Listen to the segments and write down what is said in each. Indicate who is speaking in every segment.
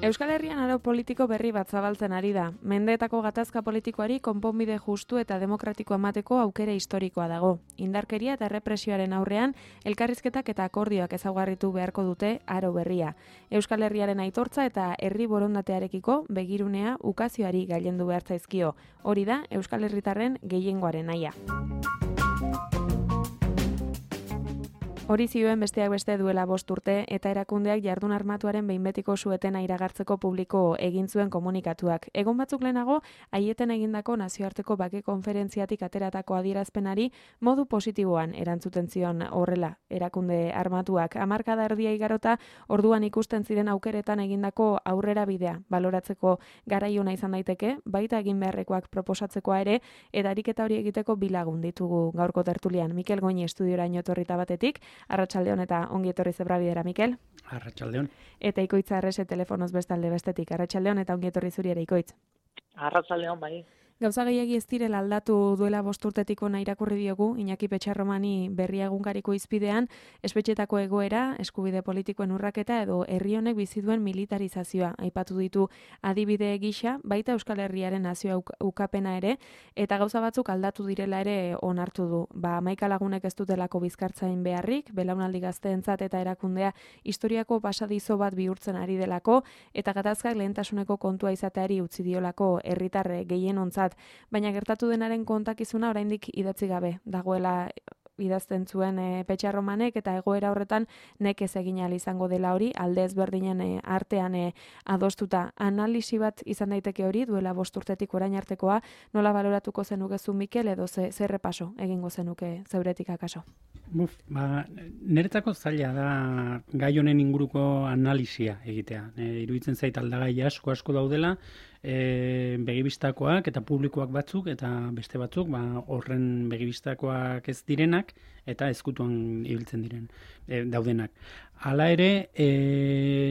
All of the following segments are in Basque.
Speaker 1: Euskal Herrian aro politiko berri bat zabaltzen ari da. Mendeetako gatazka politikoari konponbide justu eta demokratiko emateko aukera historikoa dago. Indarkeria eta errepresioaren aurrean, elkarrizketak eta akordioak ezaugarritu beharko dute aro berria. Euskal Herriaren aitortza eta herri borondatearekiko begirunea ukazioari gailendu behar zaizkio. Hori da Euskal Herritarren gehiengoaren nahia. Hori zioen besteak beste duela 5 urte eta erakundeak jardun armatuaren behin betiko suetena iragartzeko publiko egin zuen komunikatuak. Egun batzuk lehenago, Aieten egindako nazioarteko bake konferentziatik ateratako adierazpenari modu positiboan erantzuten zion horrela erakunde armatuak. Hamarkada erdia igarota orduan ikusten ziren aukeretan egindako aurrera bidea baloratzeko garaiona izan daiteke, baita egin beharrekoak proposatzekoa ere, eta ariketa hori egiteko bilagun ditugu gaurko tertulian. Mikel Goñi estudioraino etorrita batetik, Arratsaldeon eta ongi etorri Zebrabidera, Mikel.
Speaker 2: Arratsaldeon.
Speaker 1: Eta Ikoitz Arrese telefonoz bestalde bestetik. Arratsaldeon eta ongi etorri zuri ere, Ikoitz.
Speaker 3: Arratsaldeon, bai.
Speaker 1: Gauza gehiagi ez direla aldatu duela 5 urtetik ona irakurri diogu Iñaki Petxarromani Berria egunkariko izpidean, espetxetako egoera, eskubide politikoen urraketa edo herri honek bizi duen militarizazioa aipatu ditu adibide gisa, baita Euskal Herriaren nazio ukapena ere, eta gauza batzuk aldatu direla ere onartu du. 11 lagunek ez dutelako bizkartzain beharrik, belaunaldi gazteentzat eta erakundea historiako pasadizo bat bihurtzen ari delako, eta gatazkak lehentasuneko kontua izateari utzi diolako herritar gehienontzat. Baina gertatu denaren kontakizuna oraindik idatzi gabe dagoela idazten zuen Petxarromanek, eta egoera horretan nekez egin ahal izango dela hori, alde ezberdinen artean adostuta. Analisi bat izan daiteke hori, duela 5 urtetik orain artekoa, nola baloratuko zenukezu Mikel, edo zer repaso egingo zenuke zeuretik akaso?
Speaker 2: Niretzako zaila da gai honen inguruko analisia egitea. Iruditzen zait aldagai asko daudela, begibistakoak eta publikoak batzuk eta beste batzuk, horren begibistakoak ez direnak eta ezkutuan ibiltzen diren daudenak. Hala ere,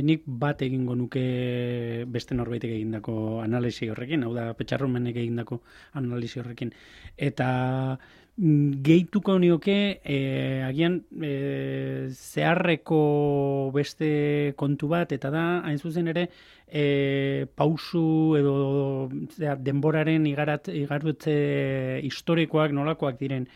Speaker 2: nik bat egingo nuke beste norbaitek egindako analisi horrekin, hau da Petxarromanek egindako analisi horrekin. Eta gehituko nioke agian zeharreko beste kontu bat, eta da, hain zuzen ere, pausu edo denboraren igarotze historikoak nolakoak diren.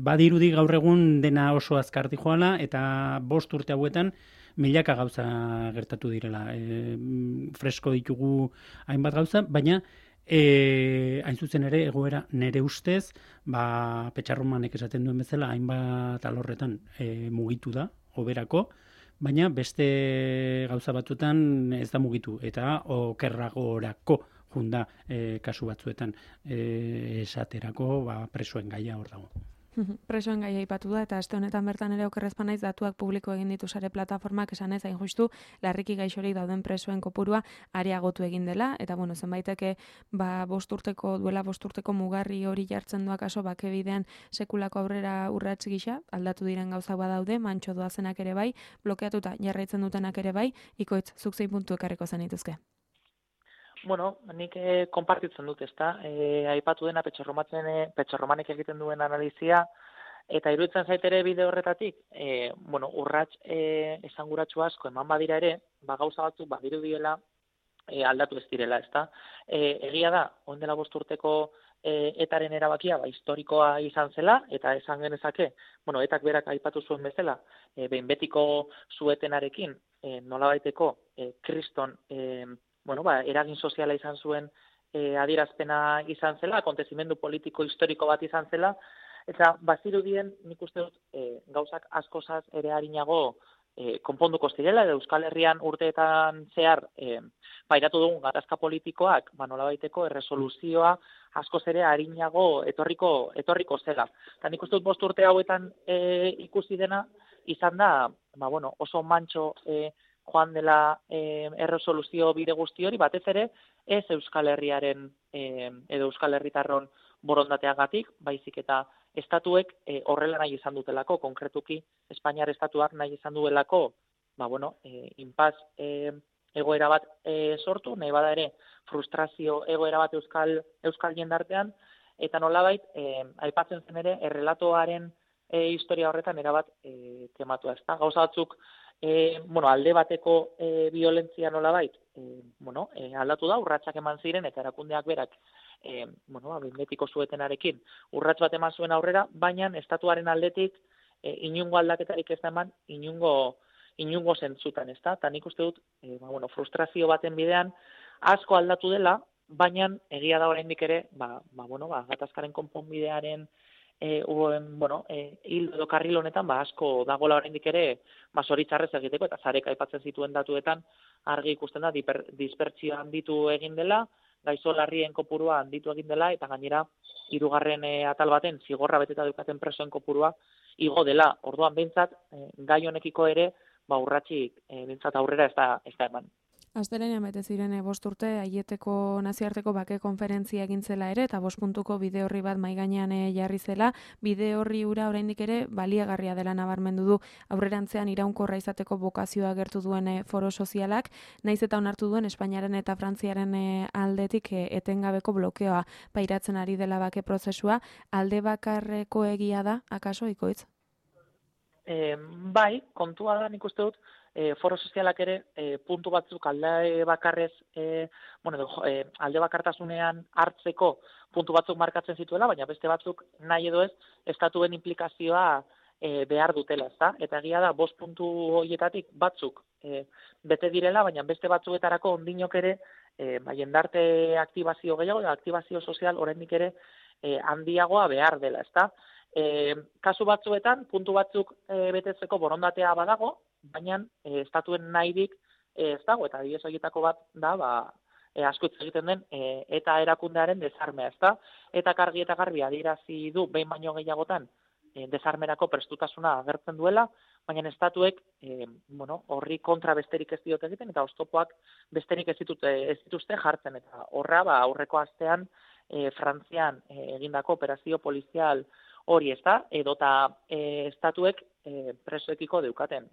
Speaker 2: Badirudi gaur egun dena oso azkarti joala, eta 5 urte hauetan milaka gauza gertatu direla. Fresko ditugu hainbat gauza, baina hain zuzen ere egoera nere ustez, Petxarromanek esaten duen bezala, hainbat alorretan mugitu da, hoberako, baina beste gauza batzuetan ez da mugitu, eta okerragorako junda kasu batzuetan esaterako presoen gaia hor dago.
Speaker 1: Presoen gaia aipatu da, eta aste honetan bertan ere okerrezpan naiz datuak publiko egin ditu sare plataformak, esan ez hain justu larriki gaixorik dauden presoen kopurua areagotu egin dela, eta zenbaiteke duela 5 urteko mugarri hori jartzen du akaso bakebidean sekulako aurrera urrats gisa, aldatu diren gauza badaude, mantxo doazenak ere bai, blokeatuta jarraitzen dutenak ere bai. Ikoitz, zuk zein puntu ekarriko zenituzke?
Speaker 3: Bueno, nik konpartitzen dut, ezta? Aipatu dena Petxarromanek egiten duen analizia, eta iruditzen zait ere bide horretatik, urrats esanguratsu asko eman badira ere, gauza batzuk badirudiela aldatu ez direla, ezta? Egia da, orain dela 5 urteko etaren erabakia historikoa izan zela, eta esan genezake, etak berak aipatu zuen bezala, behin betiko suetenarekin nolabaiteko kriston eragin soziala izan zuen adierazpena izan zela, akontezimendu politiko historiko bat izan zela, eta bazirudien nik uste dut gauzak askozaz ere harinago konponduko zirela, edo Euskal Herrian urteetan zehar pairatu dugun gatazka politikoak, nolabaiteko erresoluzioa askoz ere harinago etorriko zela. Eta nik uste dut 5 urte hauetan ikusi dena izan da, oso mantxo joan dela erresoluzio bide guzti hori, batez ere ez Euskal Herriaren edo Euskal Herritarron borondateagatik, baizik eta estatuek horrela nahi izan dutelako, konkretuki Espainiar estatuak nahi izan duelako, inpaz egoera bat sortu, nahi bada ere frustrazio egoera bat euskal jendartean, eta nolabait aipatzen zen ere errelatoaren historia horretan erabat tematua, ezta? Gauza batzuk alde bateko violentzia nolabait, aldatu da, urratsak eman ziren, eta erakundeak berak, betiko zuetenarekin, urrats bat eman zuen aurrera, baina estatuaren aldetik inungo aldaketarik ez da eman, inungo zentzutan, ez da? Eta nik uste dut, frustrazio baten bidean, asko aldatu dela, baina egia da oraindik ere, gatazkaren konponbidearen hil edo karril honetan, asko dagoela oraindik ere, zoritxarrez egiteko, eta Zarek aipatzen zituen datuetan, argi ikusten da, dispertsioa handitu egin dela, gaixo larrien kopurua handitu egin dela, eta gainera, 3. atal baten, zigorra beteta dukaten presoen kopurua, igo dela. Orduan behintzat, gai honekiko ere, urratsik behintzat aurrera ez da eman.
Speaker 1: Astelehenean bete ziren 5 urte Aieteko nazioarteko bake konferentzia egin zela ere, eta 5 puntuko bide horri bat mahai gainean jarri zela. Bide horri hura oraindik ere baliagarria dela nabarmendu du, aurrerantzean iraunkorra izateko bokazioa agertu duen foro sozialak, naiz eta onartu duen Espainiaren eta Frantziaren aldetik etengabeko blokeoa pairatzen ari dela bake prozesua. Alde bakarreko egia da, akaso, Ikoitz?
Speaker 3: Bai, kontua da, nik uste dut, foro sozialak ere puntu batzuk alde bakarrez, alde bakartasunean hartzeko puntu batzuk markatzen zituela, baina beste batzuk nahi edo ez, estatuen implikazioa behar dutela, ezta? Eta egia da, 5 puntu horietatik batzuk bete direla, baina beste batzuetarako ondinok ere, jendarte aktibazio gehiago, aktibazio sozial oraindik ere handiagoa behar dela, ezta? Kasu batzuetan, puntu batzuk betetzeko borondatea badago, baina estatuen nahirik ez dago, eta adibidez horietako bat da, asko hitz egiten den, eta erakundearen desarmea, ezta? Eta argi eta garbi adierazi du behin baino gehiagotan desarmerako prestutasuna agertzen duela, baina estatuek horri kontra besterik ez diote egiten, eta oztopoak besterik ez dituzte jartzen, eta horra aurreko astean Frantzian egindako operazio polizial hori, ez da, edota estatuek presoekiko deukaten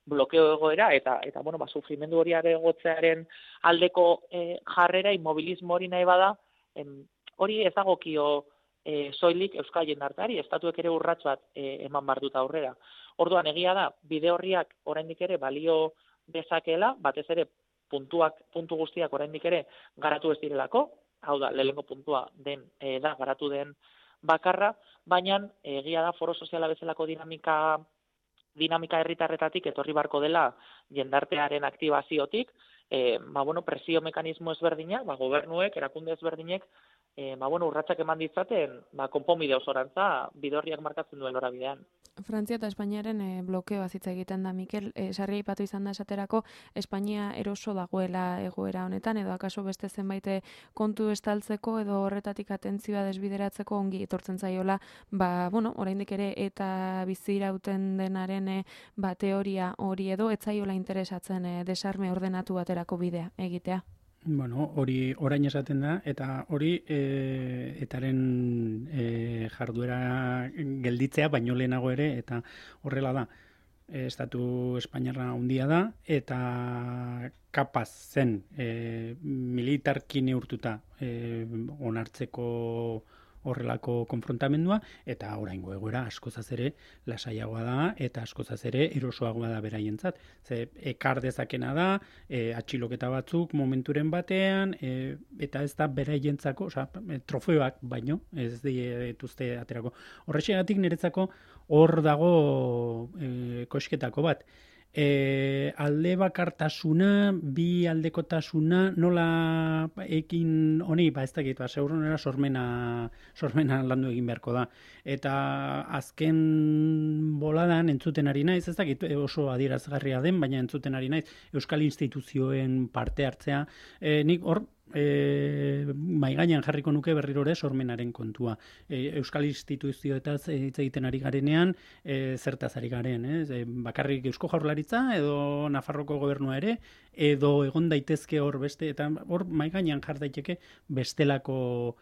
Speaker 3: blokeo egoera, eta sufrimendu hori aregotzearen aldeko jarrera, inmobilismo hori nahi bada, hori ez dagokio soilik euskal jendarteari, estatuek ere urrats bat eman behar dut aurrera. Orduan, egia da, bide horriak oraindik ere balio dezakeela, batez ere puntu guztiak oraindik ere garatu ez direlako, hau da, lehenengo puntua da garatu den bakarra, baina egia da foro soziala bezalako dinamika herritarretatik etorri barko dela jendartearen aktibaziotik, presio mekanismo ezberdinak, gobernuek, erakunde ezberdinek, urratsak eman ditzaten, konponbide osorantza bidorriak markatzen duen norabidean.
Speaker 1: Frantzia eta Espainiaren blokeoa hitz egiten da, Mikel. Sarri aipatu izan da esaterako, Espainia eroso dagoela egoera honetan, edo akaso beste zenbait kontu estaltzeko edo horretatik atentzioa desbideratzeko ongi etortzen zaiola, oraindik ere eta bizirauten denaren teoria hori edo ez zaiola interesatzen desarme ordenatu baterako bidea egitea.
Speaker 2: Hori orain esaten da, eta hori etaren jarduera gelditzea, baino lehenago ere, eta horrela da. Estatu Espainiarra handia da, eta kapaz zen militarki neurtuta onartzeko horrelako konfrontamendua, eta oraingo egoera askozaz ere lasaiagoa da, eta askozaz ere erosoagoa da beraientzat. Ekar dezakena da, atxiloketa batzuk momenturen batean, eta ez da beraientzako, trofeoak baino, ez dituzte aterako. Horrexegatik niretzako hor dago kosketako bat. Alde bakartasuna, bi aldekotasuna, nola ekin honi, ez dakit, seguronera sormena landu egin beharko da. Eta azken boladan entzuten ari naiz, ez dakit oso adierazgarria den, baina entzuten ari naiz, euskal instituzioen parte hartzea, nik hor, maigainan jarriko nuke berriro ere sormenaren kontua. Euskal instituzioetaz hitz egiten ari garenean, zertaz ari garen, bakarrik Eusko Jaurlaritza edo Nafarroko gobernua ere, edo egon daitezke hor beste, eta hor maigainan jar daiteke bestelako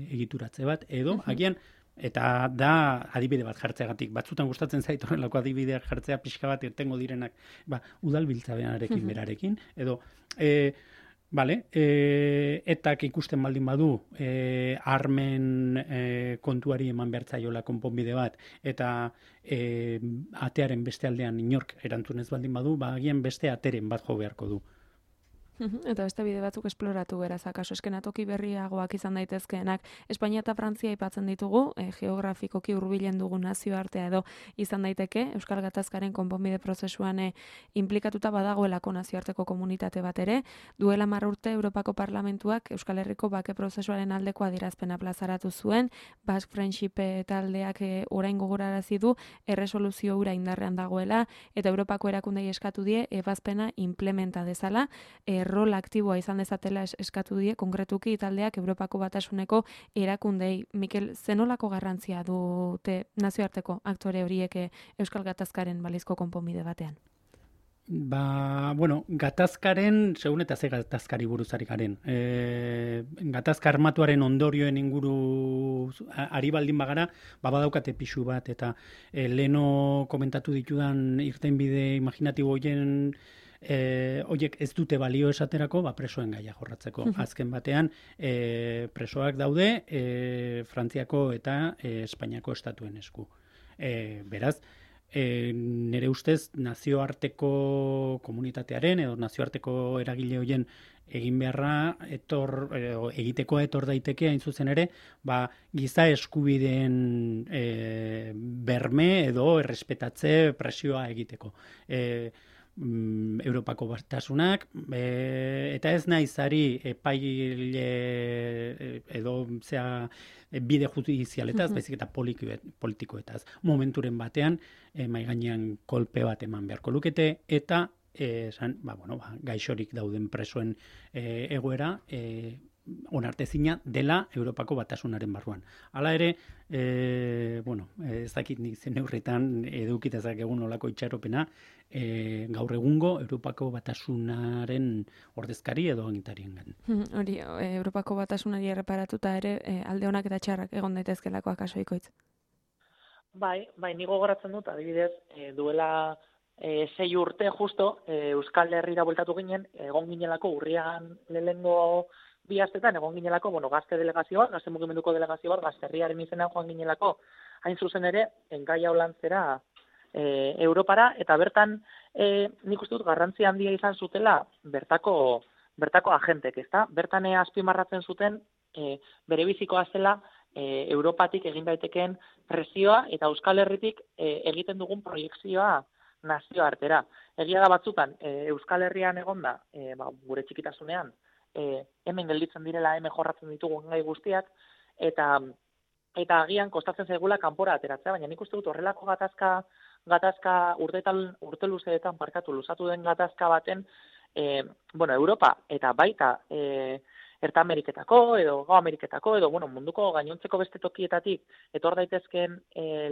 Speaker 2: egituratze bat, edo agian eta da adibide bat jartzeagatik. Batzutan gustatzen zait horrelako adibideak jartzea pixka bat irtengo direnak udalbiltzarekin berarekin, edo Bale, etak ikusten baldin badu armen kontuari eman behartzaiola konponbide bat, eta atearen beste aldean inork erantzunez baldin badu, agian beste ateren bat jo beharko du.
Speaker 1: Eta beste bide batzuk esploratu beraz, akaso eskenatoki berriagoak izan daitezkeenak. Espainia eta Frantzia aipatzen ditugu, geografikoki hurbilen dugun nazioartea edo izan daiteke, Euskal Gatazkaren konponbide prozesuan inplikatuta badagoelako nazioarteko komunitate bat ere, duela 10 urte Europako Parlamentuak Euskal Herriko bake prozesuaren aldeko adierazpena plazaratu zuen, Basque Friendship taldeak orain gogorarazi du erresoluzio hura indarrean dagoela, eta Europako erakundei eskatu die ebazpena implementa dezala, rol aktiboa izan dezatela eskatu die konkretuki taldeak Europako Batasuneko erakundei. Mikel, zenolako garrantzia dute nazioarteko aktore horiek Euskal Gatazkaren balizko konponbide batean?
Speaker 2: Gatazkaren, segun eta ze gatazkari buruzari garen. Gatazka armatuaren ondorioen inguru ari baldin bagara, badaukate pixu bat, eta leno komentatu ditudan irtenbide imaginatibo horien horiek ez dute balio esaterako, presoen gaia jorratzeko. Azken batean, presoak daude Frantziako eta Espainiako estatuen esku. Beraz, nire ustez nazioarteko komunitatearen edo nazioarteko eragile horien egin beharra egiteko etor daiteke hain zuzen ere, giza eskubideen berme edo errespetatze presioa egiteko. Europako Batasunak, eta ez naiz ari epaile edo bide judizialetaz, baizik eta politikoetaz. Momenturen batean, mahai gainean kolpe bat eman beharko lukete, eta gaixorik dauden presoen egoera onartezina dela Europako Batasunaren barruan. Hala ere, ez dakit nik zen neurretan edukitezak egun olako itxaropena, gaur egungo Europako Batasunaren ordezkari edo agintarien gan.
Speaker 1: Hori, Europako Batasunari erreparatuta ere, alde honak eta txarrak egon daitezkelako akaso ikoitz.
Speaker 3: Bai, nigo goratzen dut, adibidez, duela 6 urte justo, Euskal Herrira bueltatu ginen, egon ginelako urrian lehengo 2 astetan egon ginelako, gazte delegazio bat, gazte mugimenduko delegazio bat, Gazterriaren izenean joan ginelako, hain zuzen ere, engaia holantzera Europara, eta bertan nik uste dut garrantzi handia izan zutela bertako agentek, ezta? Bertan azpimarratzen zuten bere bizikoa zela Europatik egin daitekeen presioa eta Euskal Herritik egiten dugun proiekzioa nazioartera. Egia da batzutan, Euskal Herrian egonda, gure txikitasunean, hemen gelditzen direla, hemen jorratzen ditugu gai guztiak, eta agian kostatzen zaigula kanpora ateratzea, baina nik uste dut horrelako gatazka urte luzeetan luzatu den gatazka baten, Europa eta baita Erta Ameriketako edo Gau Ameriketako edo munduko gainontzeko beste tokietatik etor daitezkeen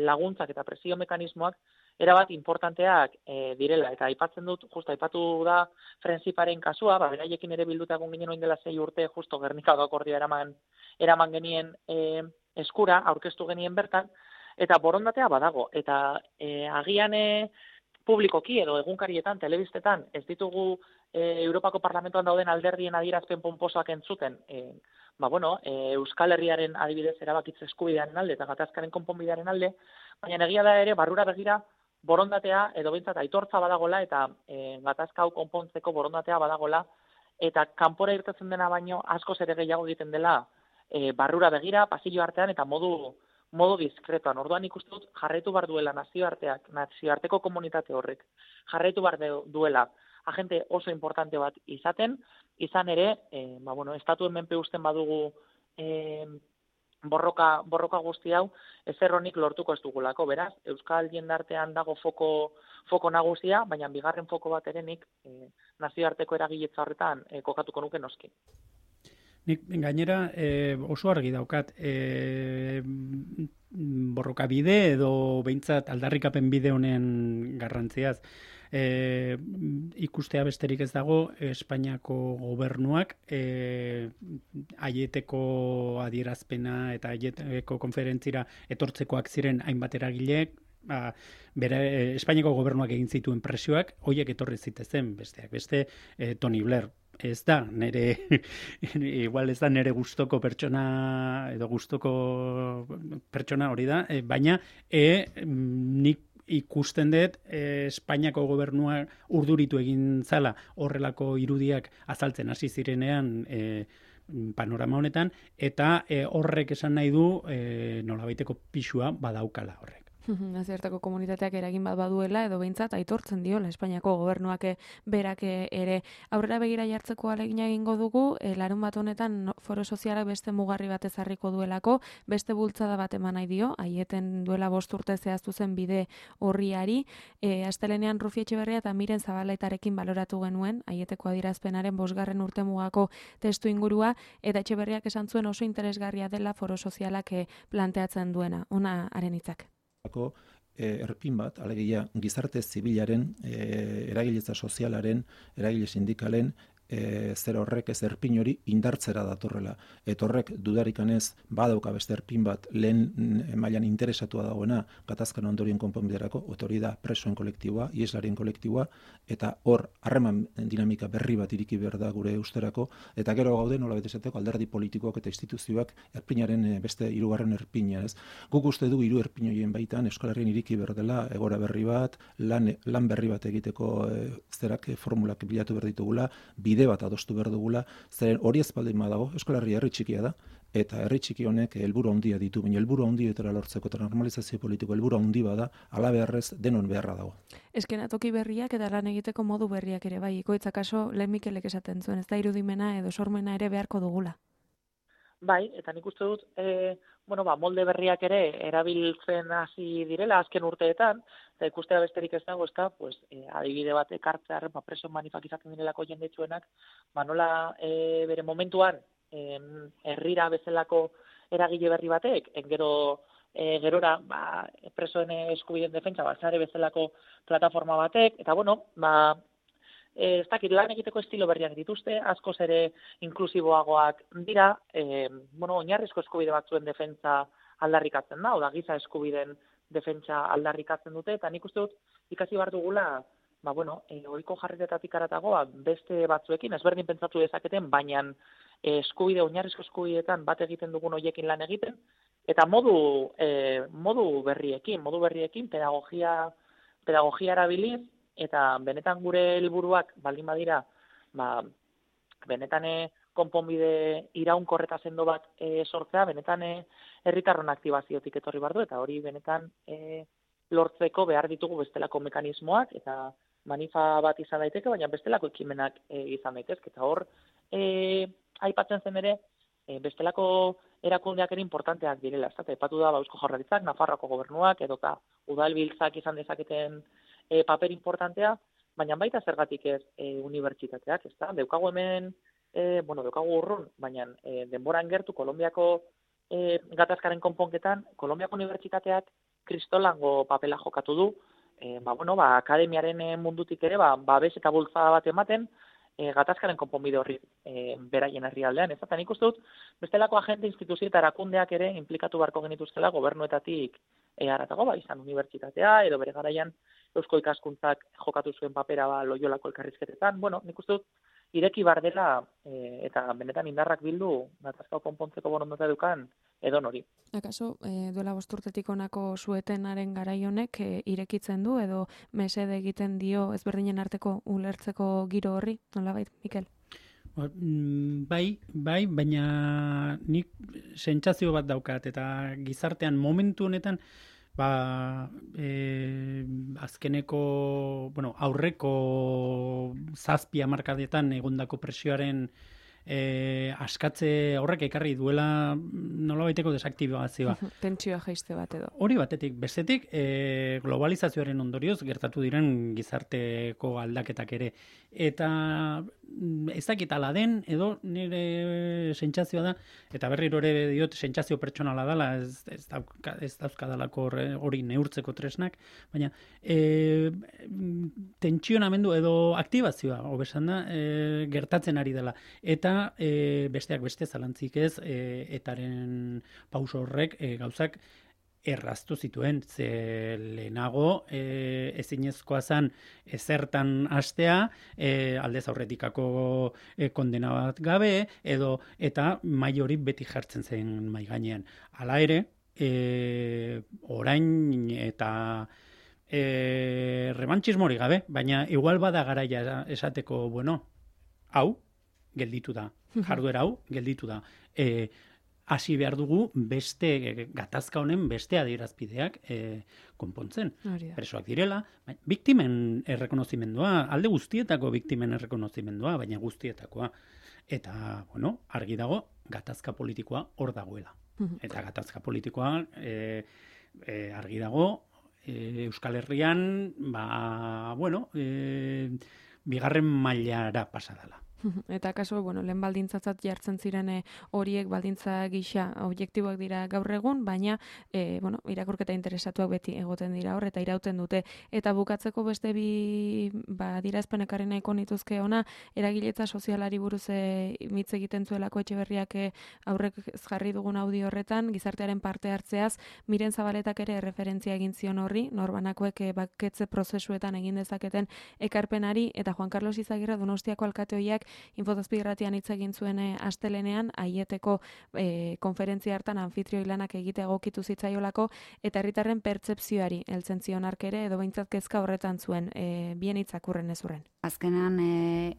Speaker 3: laguntzak eta presio mekanismoak erabat importanteak direla. Eta aipatu da Friendshiparen kasua, beraiekin ere bilduta egon ginen oin dela 6 urte, justo Gernikako akordioa eraman genien eskura, aurkeztu genien bertan, eta borondatea badago. Eta agian publikoki edo egunkarietan, telebistetan, ez ditugu Europako Parlamentuan dauden alderdien adierazpen ponposoak entzuten, Euskal Herriaren adibidez erabakitze eskubidearen alde eta gatazkaren konponbidearen alde, baina egia da ere barrura begira borondatea edo behintzat aitortza badagola eta gatazka hau konpontzeko borondatea badagola, eta kanpora irtetzen dena baino askoz ere gehiago egiten dela barrura begira, pasillo artean eta modu diskretoan. Orduan ikusten dut jarraitu bar duela nazioarteko komunitate horrek. Jarraitu bar duela agente oso importante bat izan ere, estatuen menpe usten badugu borroka guzti hau, ezer honik lortuko ez dugulako. Beraz, Euskal jendartean dago foko nagusia, baina bigarren foko bat ere nik nazioarteko eragiletza horretan kokatuko nuke noski.
Speaker 2: Nik gainera oso argi daukat borroka bide edo behintzat aldarrikapen bide honen garrantziaz. Ikustea besterik ez dago Espainiako gobernuak aieteko adierazpena eta aieteko konferentzira etortzekoak ziren hainbat eragileek, Espainiako gobernuak egin zituen presioak, hoiek etorri zitezen besteak beste Tony Blair ez da igual ez da nere gustoko pertsona edo gustoko pertsona hori da, baina nik ikusten dut Espainiako gobernua urduritu egin zala horrelako irudiak azaltzen hasi zirenean panorama honetan, eta horrek esan nahi du nolabaiteko pisua badaukala horrek.
Speaker 1: Nazioarteko komunitateak eragin bat baduela edo behintzat aitortzen diola Espainiako gobernuak berak ere aurrera begira jartzeko ahalegina egingo dugu, larun bat honetan foro sozialak beste mugarri bat ezarriko duelako, beste bultzada bat eman nahi dio, aieten duela 5 urte zehaztu zen bide horriari, astelenean Rufi Etxeberria eta Miren Zabalaitarekin baloratu genuen, aieteko adierazpenaren 5. urtemugako testu ingurua, eta Etxeberriak esan zuen oso interesgarria dela foro sozialak planteatzen duena. Ona haren hitzak.
Speaker 4: Erpin bat, alegia gizarte zibilaren, eragiletza sozialaren, eragile sindikalen, zer horrek ez erpin hori indartzera datorrela. Eta horrek dudarikanez badauka beste erpin bat lehen mailan interesatua dagoena gatazkan ondorien konponbiderako, hori da presoen kolektiboa, ieslarien kolektiboa, eta hor harreman dinamika berri bat iriki behar da gure usterako, eta gero gaude nola betesateko alderdi politikoak eta instituzioak erpinaren beste 3. erpina. Guk uste du 3 erpin horien baitan Euskal Herrian iriki behar dela egora berri bat, lan berri bat egiteko formulak bilatu behar ditugula, bide bat adostu behar dugula, zeren hori ez baldin badago, Euskal Herria herri txikia da, eta herri txiki honek helburu handia ditu, baina helburu handietara lortzeko eta normalizazio politiko helburu handi bada, hala beharrez denon beharra dago.
Speaker 1: Eskenatoki berriak eta lan egiteko modu berriak ere bai, ikoitza kaso lehen Mikelek esaten zuen, ez da irudimena edo sormena ere beharko dugula.
Speaker 3: Bai, eta nik uste dut, molde berriak ere erabiltzen hasi direla azken urteetan, eta ikustea besterik ez dago, adibide bat ekartzearen, preso manifak izaten direlako jendetsuenak, nola bere momentuan herrira bezalako eragile berri batek, gerora presoen eskubideen defentsa, sare bezalako plataforma batek, eta ez dakit, lan egiteko estilo berriak dituzte, askoz ere inklusiboagoak dira, oinarrizko eskubide batzuen defentsa aldarrikatzen da, oda giza eskubideen defentsa aldarrikatzen dute, eta nik uste dut ikasi behar dugula, ohiko jarritetatik aratago, beste batzuekin, ezberdin pentsatu dezaketen, baina oinarrizko eskubideetan bat egiten dugun hoiekin lan egiten, eta modu berriekin, pedagogia erabiliz, eta benetan gure helburuak baldin badira, benetan konponbide iraunkorreta sendo bat sortzea, benetan herritarron aktibaziotik etorri bardu, eta hori benetan lortzeko behar ditugu bestelako mekanismoak, eta manifa bat izan daiteke, baina bestelako ekimenak izan daitezke, eta hor aipatzen zen ere, bestelako erakundeak ere importanteak direla, eta aipatu da Eusko Jaurlaritzak, Nafarroako gobernuak, edota udalbiltzak izan dezaketen paper importantea, baina baita zergatik ez unibertsitateak, ezta? Daukagu hemen, daukagu urrun, baina denboran gertu Kolonbiako gatazkaren konponketan, Kolonbiako unibertsitateak kristolango papela jokatu du, akademiaren mundutik ere, babes eta bultzada bat ematen, gatazkaren konponbide horri beraien herrialdean, ez? Eta nik uste dut, bestelako agente, instituzio eta erakundeak ere implikatu beharko genituzkela gobernuetatik haratago, izan unibertsitatea, edo bere garaian Eusko Ikaskuntzak jokatu zuen papera Loiolako elkarrizketetan. Nik uste dut, ireki bar dela eta benetan indarrak bildu gatazka konpontzeko borondatea dukan edonori.
Speaker 1: Akaso, duela 5 urtetik honako suetenaren garai honek irekitzen du edo mesede egiten dio ezberdinen arteko ulertzeko giro horri, nolabait, Mikel?
Speaker 2: Bai, baina nik sentsazio bat daukat, eta gizartean momentu honetan azkeneko, aurreko 7 hamarkadetan egondako presioaren askatze horrek ekarri duela nolabaiteko desaktibazioa.
Speaker 1: Tentsioa jaiste bat edo.
Speaker 2: Hori batetik, bestetik globalizazioaren ondorioz gertatu diren gizarteko aldaketak ere. Eta ez dakit ala den, edo nire sentsazioa da, eta berriro ere diot sentsazio pertsonala dela, ez dauzkadalako hori neurtzeko tresnak, baina tentsionamendu edo aktibazioa, hobesan da, gertatzen ari dela. Eta besteak beste zalantzik ez, etaren pauso horrek gauzak erraztu zituen, ze lehenago ezinezkoa zen ezertan hastea, aldez aurretikako kondena bat gabe, eta mai hori beti jartzen zen mai gainean. Hala ere, orain eta rebantxismori gabe, baina igual bada garaia esateko, bueno, hau gelditu da, jarduera hau gelditu da. Hasi behar dugu beste gatazka honen beste adierazpideak konpontzen. Presoak direla, biktimen errekonozimendua, alde guztietako biktimen errekonozimendua, baina guztietakoa. Eta, bueno, argi dago, gatazka politikoa hor dagoela. Eta gatazka politikoa argi dago, Euskal Herrian, bigarren mailara pasadala.
Speaker 1: Eta kaso, lehen baldintzatzat jartzen ziren horiek baldintza gisa objektiboak dira gaur egun, baina irakurketa interesatuak beti egoten dira hor, eta irauten dute. Eta bukatzeko beste bi adierazpenekarri nahiko nituzke ona, eragiletza sozialari buruz hitz egiten zuelako Etxeberriak aurrek jarri dugun audio horretan, gizartearen parte hartzeaz, Miren Zabaletak ere referentzia egin zion horri, norbanakoek baketze prozesuetan egin dezaketen ekarpenari, eta Juan Carlos Izagirre Donostiako alkateoiak Infozazpi irratian hitz egin zuen astelenean, aieteko konferentzia hartan anfitrioi lanak egite egokitu zitzaiolako, eta herritarren pertzepzioari heltzen zion hark ere, edo behintzat kezka horretan zuen, bien hitzakurren ezurren.
Speaker 5: Azkenean,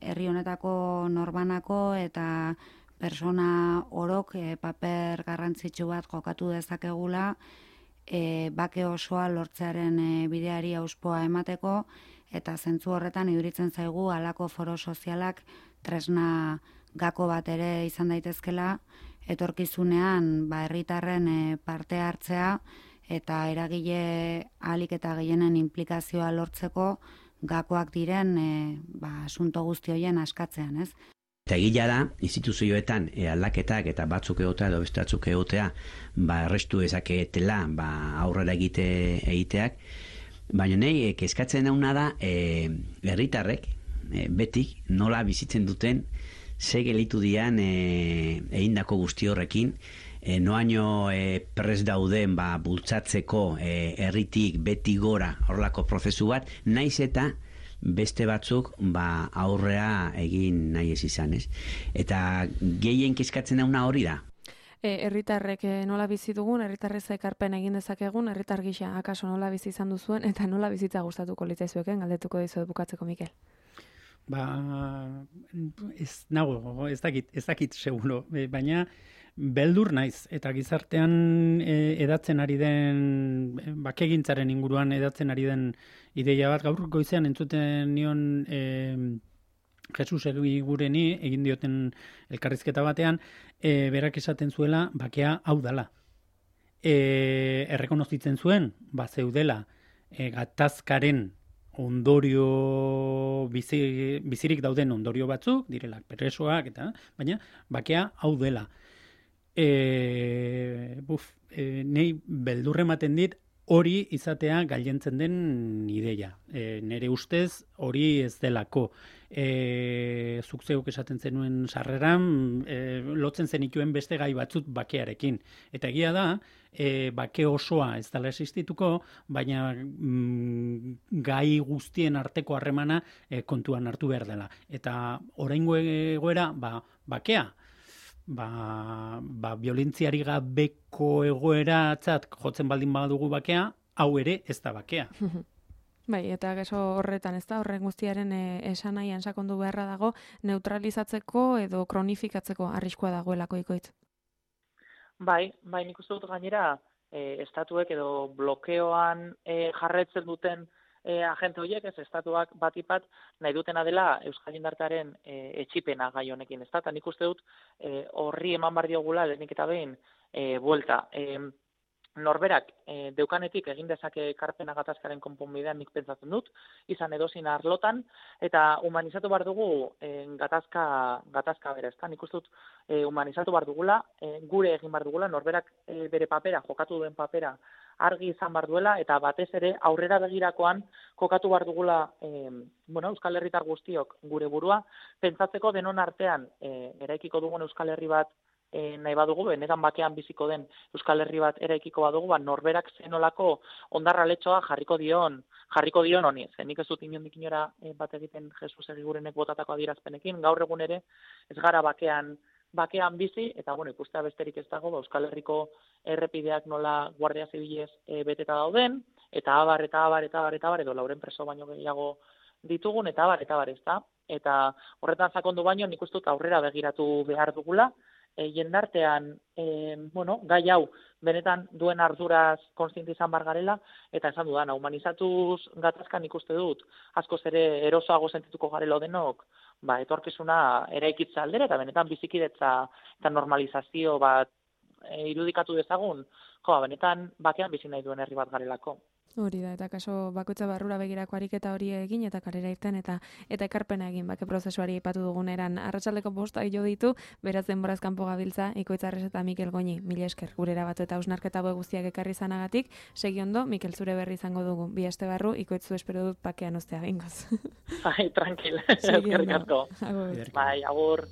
Speaker 5: herri honetako norbanako eta persona orok paper garrantzitsu bat jokatu dezakegula, bake osoa lortzearen bideari auspoa emateko, eta zentzu horretan iduritzen zaigu halako foro sozialak tresna gako bat ere izan daitezkela, etorkizunean herritarren parte hartzea eta eragile ahalik eta gehienen implikazioa lortzeko gakoak diren asunto guzti horien askatzean, ez?
Speaker 6: Eta egila da, instituzioetan aldaketak eta batzuk egotea edo beste batzuk egotea errestu ezaketela aurrera egiteak, baina nahi kezkatzen dauna da herritarrek betik nola bizitzen duten ze gelitu dian egindako guzti horrekin, noaino prest dauden bultzatzeko herritik beti gora horrelako prozesu bat, naiz eta beste batzuk aurrea egin nahi ez izan, ez? Eta gehien kezkatzen dauna hori da.
Speaker 1: Herritarrek nola bizi dugun, herritarrez ekarpen egin dezakegun, herritar gisa akaso nola bizi izan duzuen, eta nola bizitza gustatuko litzaizueken, galdetuko dizuet bukatzeko, Mikel.
Speaker 2: Ez dakit seguro, baina beldur naiz, eta gizartean edatzen ari den, bakegintzaren inguruan edatzen ari den ideia bat, gaur goizean entzuten nion Jesus Egureni egin dioten elkarrizketa batean, berak esaten zuela bakea hau dela. Errekonozitzen zuen, zeudela gatazkaren ondorio bizirik dauden ondorio batzuk, direla presoak eta, baina bakea hau dela. Nei beldurre ematen dit hori izatea gailentzen den ideia. Nere ustez hori ez delako. Zuk zeuk esaten zenuen sarreran, lotzen zenituen beste gai batzut bakearekin. Eta egia da, bake osoa ez dela existituko, baina gai guztien arteko harremana kontuan hartu behar dela. Eta oraingo egoera, bakea, violentziari gabeko egoeratzat jotzen baldin badugu bakea, hau ere ez da bakea.
Speaker 1: Bai, eta geso horretan, ez da, horren guztiaren esanaian sakondu beharra dago, neutralizatzeko edo kronifikatzeko arriskua dagoelako ikoitz.
Speaker 3: Bai, nik uste dut gainera, estatuek edo blokeoan jarretzen duten agente horiek, ez estatuak batipat nahi dutena dela Euskal Jendartearen etxipena gai honekin, ez da, eta nik uste dut horri eman bar diogula lehenik eta behin buelta. Norberak deukanetik egin dezake ekarpena gatazkaren konponbidean nik pentsatzen dut, izan edozin arlotan, eta humanizatu bar dugu gatazka bere, ezta? Nik uste dut humanizatu bar dugula, gure egin bar dugula, norberak bere papera, jokatu duen papera, argi izan bar duela, eta batez ere aurrera begirakoan kokatu bar dugula Euskal Herritar guztiok gure burua, pentsatzeko denon artean eraikiko dugun Euskal Herri bat nahi badugu, benetan bakean biziko den Euskal Herri bat eraikiko badugu, norberak zenolako ondarraletxoa jarriko dion honi. Nik ez dut inondik inora bat egiten Jesus Egigurenek botatako adierazpenekin, gaur egun ere ez gara bakean bizi, eta ikustea besterik ez dago, Euskal Herriko errepideak nola Guardia Zibilez beteta dauden, eta abar, edo lauren preso baino gehiago ditugun, eta abar, ez da. Eta horretan sakondu baino, nik uste dut aurrera begiratu behar dugula, jendartean, gai hau, benetan duen arduraz kontziente izan bar garela, eta esan dudana, humanizatuz gatazkan ikuste dut, askoz ere erosoago sentituko garelo denok, etorkizuna eraikitza aldera, eta benetan bizikidetza eta normalizazio bat irudikatu dezagun, benetan bakean bizi nahi duen herri bat garelako.
Speaker 1: Hori da, eta kaso bakoitza barrura begirako ariketa hori egin, eta kalera irten, eta ekarpena egin, bake prozesuari aipatu duguneran. Arratsaldeko 5 jo ditu, beraz denboraz kanpo gabiltza, Ikoitzarrez eta Mikel Goñi, mila esker, gurera batu eta hausnarketa guztiak ekarri zanagatik, segi ondo, Mikel zure berri izango dugu, 2 aste barru, Ikoitzu espero dut bakean ustea gingoz.
Speaker 3: Tranquil, eskerrik asko.
Speaker 1: Agur.
Speaker 3: Agur.